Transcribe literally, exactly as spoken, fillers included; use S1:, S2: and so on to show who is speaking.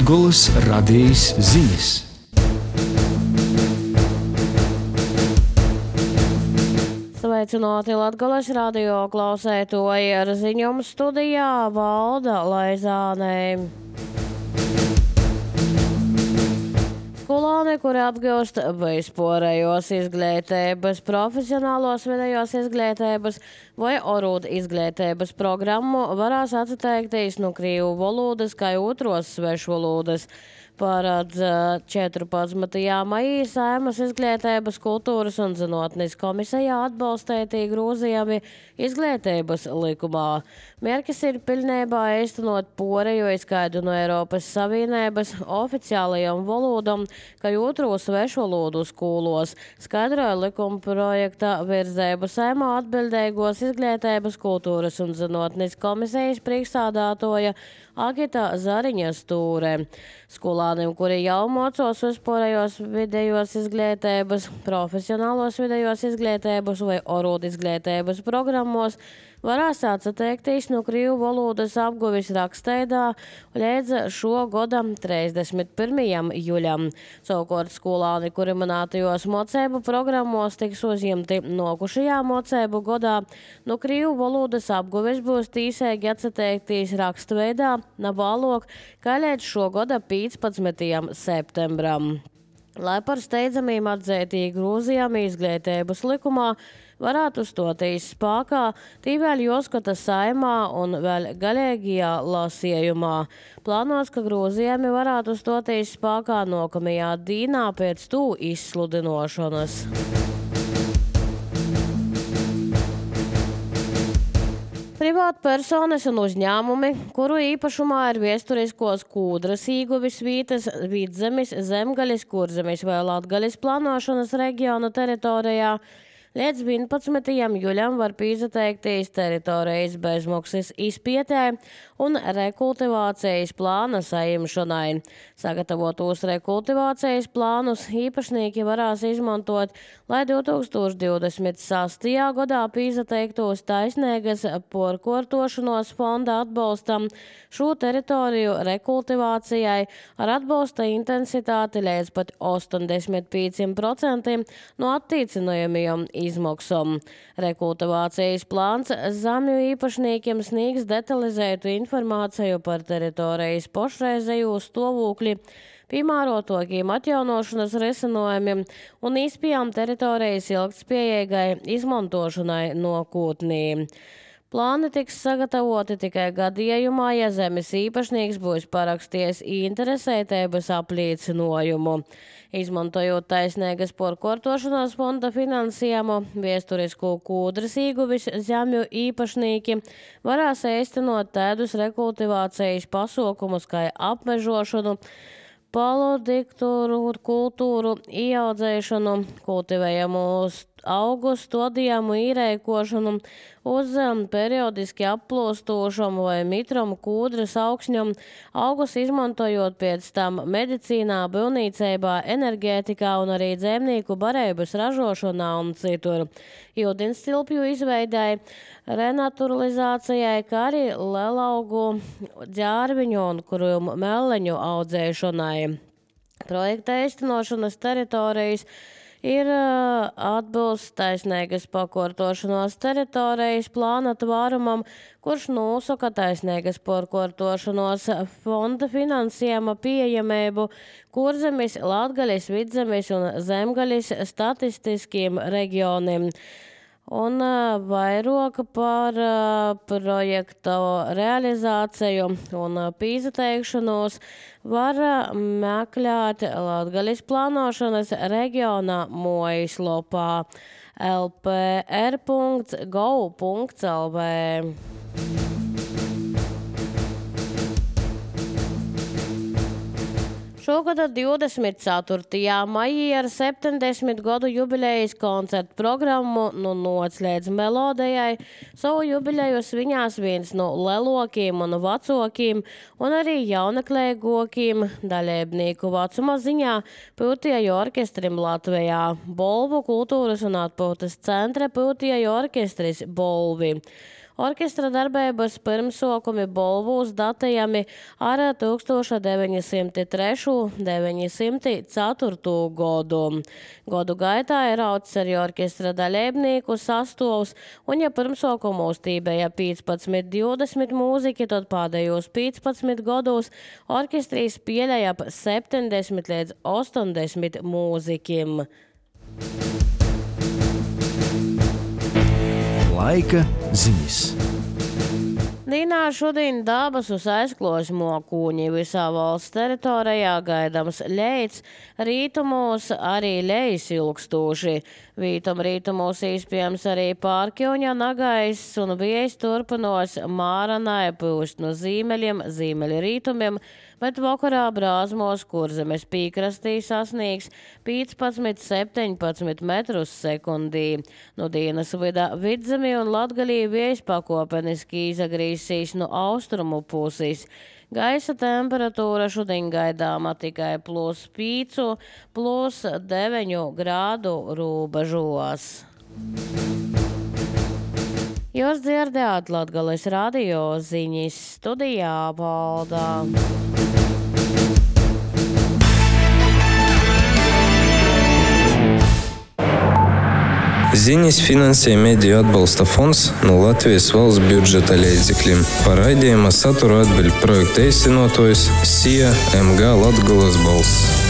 S1: Latgolas radījis ziņas.
S2: Sveicināti Latgolas radio klausētoji, ar ziņojumu studijā Valda Laizāne. Skolāni, kuri atgūst vispārējos izglītības, profesionālos vidējos izglītības vai orūda izglītības programmu, varēs atteikties no krīvu valodas kā otros svešvalodas. Paredz četrpadsmitajā maijā Saeimas izglītības, kultūras un zinātnes komisijā atbalstītī grozījumi izglītības likumā. Mērķis ir pilnībā īstenot pārējo izskaidu no Eiropas Savienības oficiālajām valodām, kā otro svešvalodu skolos, skaidroja likuma projekta virzību Saeimā atbildīgos izglītības, kultūras un zinātnes komisijas priekšsādātoja Agita Zariņa Stūre. Skolāniem, kuri jau mocos vispārējos vidējos izglītības, profesionālos vidējos izglītības vai orūda izglītības programmos, varēs atteikties no krīvu valodas apguves rakstveidā līdz šo gada trīsdesmit pirmajam jūļam. Savukārt skolāni, kuri minētajos mocību programmos tiks uzņemti nokušajā mocību gadā, no krīvu valodas apguves būs tīsīgi atteikties rakstveidā nabalok, kā līdz šo gada piecpadsmitajam septembram. Lai par steidzamiem atzītī grozījumi izglītības likumā varētu stoties spēkā, tī vēl jāskata Saeimā un vēl galīgajā lasījumā. Plānots, ka grozījumi varētu stoties spēkā nākamajā dienā pēc tū izsludinošanas. Privātpersonas un uzņēmumi, kuru īpašumā ir viesturiskos kūdras īguvis vītas Vidzemes, Zemgaļas, Kurzemes vai Latgaļas plānošanas reģiona teritorijā, līdz vienpadsmitajam jūļam var pīzateikties teritorijas bezmaksas izpētē un rekultivācijas plāna saimšanai. Sagatavotos rekultivācijas plānus īpašnieki varēs izmantot, lai divtūkstoš divdesmit sastajā gadā pīzateiktos taisnīgas porkortošanos fonda atbalstam šo teritoriju rekultivācijai ar atbalsta intensitāti līdz pat ostoņdesmit pieciem procentiem no attīcinājumiem izmaksām. Rekultivācijas plāns zemju īpašniekiem sniegs detalizētu informāciju par teritorijas pašreizējo stāvokli, piemērotākiem atjaunošanas risinājumiem un izpējām teritorijas ilgtspējīgai izmantošanai nākotnē. Plāni tiks sagatavoti tikai gadījumā, ja zemes īpašnieks būs parakstījis interesētības apliecinājumu. Izmantojot taisnīgas porkortošanās fonda finansējumu, viesturisku kūdras īguvis zemju īpašnieki varēs īstenot tādus rekultivācijas pasākumus kā apmežošanu, palodikturu kultūru ieaudzēšanu, kultivējamu augu stodījumu īrēkošanu, uz periodiski applūstošamu vai mitramu kūdras augsņam, augus izmantojot pēc tam medicīnā, būvniecībā, enerģētikā un arī dzēmnieku barības ražošanā un citur. Ūdenstilpju izveidai, renaturalizācijai, kā arī lelaugu, ģērviņu un krūmu meleņu audzēšanai. Projekta īstenošanas teritorijas ir atbilst taisnīgas pakortošanos teritorijas plāna tvārumam, kurš nosaka taisnīgas pakortošanos fonda finansējuma pieejamību Kurzemes, Latgaļas, Vidzemes un Zemgaļas statistiskiem reģioniem. Un vairāk par projektu realizāciju un pīzateikšanos var meklēt Latgaļas plānošanas reģionā mājaslapā el pe er punkts gov punkts el vē. Šogad divdesmit ceturtajā maijā ar septiņdesmit gadu jubilejas koncertu programmu nu nocliedz melodijai. Savu jubileju sviņās viens no lelokiem un vecokiem un arī jaunaklēgokiem dalībnieku vecuma ziņā Pūtieju orkestrim Latvijā. Bolvu kultūras un atpūtas centra Pūtieju orkestris Bolvi. Orkestra darbības pirmsokumi Bolvūs datējami ar tūkstoš deviņi simti trešo - deviņi simti ceturto godu. Godu gaitā ir aucis arī orkestra dalībnieku sastovs, un ja pirmsokumos tībeja piecpadsmit divdesmit mūziķi, tad pēdējos piecpadsmit gados orkestrīs pieļaja ap septiņdesmit līdz ostoņdesmit mūziķim.
S1: Laika ziņas.
S2: Dīnā šodien dabasus aizklos mokūņi visā valsts teritorijā gaidams leits, rītumos arī lejas ilgstūši. Vītam rītumos īspējams arī pārkļuņa nagais un vējs turpinos māranai pūst no zīmeļiem, zīmeļu rītumiem, bet vakarā brāzmos Kurzemes pīkrastī sasniegs piecpadsmit septiņpadsmit metrus sekundī. No dienas vidā Vidzemi un Latgalī vējs pakopeniski izagrīsīs no austrumu puses. Gaisa temperatūra šodien gaidāma tikai plus pīcu, plus deviņu grādu robežos. Jūs dzirdējāt Latgales radio ziņas, studijā Valdā.
S3: Ziņas finansē Mediju atbalsta fonds no Latvijas valsts budžeta līdzekļiem. Par raidījuma saturu atbild projekta īstenotājs S I A M G Latgales balss.